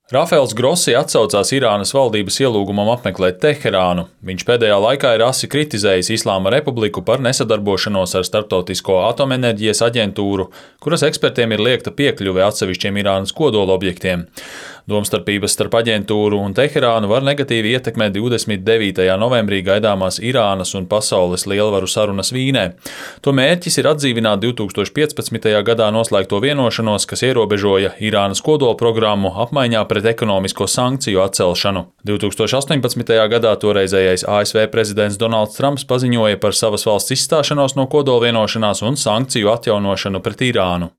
Rafaels Grossi atsaucās Irānas valdības ielūgumam apmeklēt Teherānu. Viņš pēdējā laikā ir asi kritizējis Islāma Republiku par nesadarbošanos ar Starptautisko atomenerģijas aģentūru, kuras ekspertiem ir liegta piekļuve atsevišķiem Irānas kodolobjektiem. Domstarpības starp aģentūru un Teherānu var negatīvi ietekmēt 29. novembrī gaidāmās Irānas un pasaules lielvaru sarunas Vīnē. To mērķis ir atdzīvināt 2015. gadā noslēgto vienošanos, kas ierobežoja Irānas kodolprogrammu apmaiņā pret ekonomisko sankciju atcelšanu. 2018. gadā toreizējais ASV prezidents Donalds Trumps paziņoja par savas valsts izstāšanos no kodolvienošanās un sankciju atjaunošanu pret Irānu.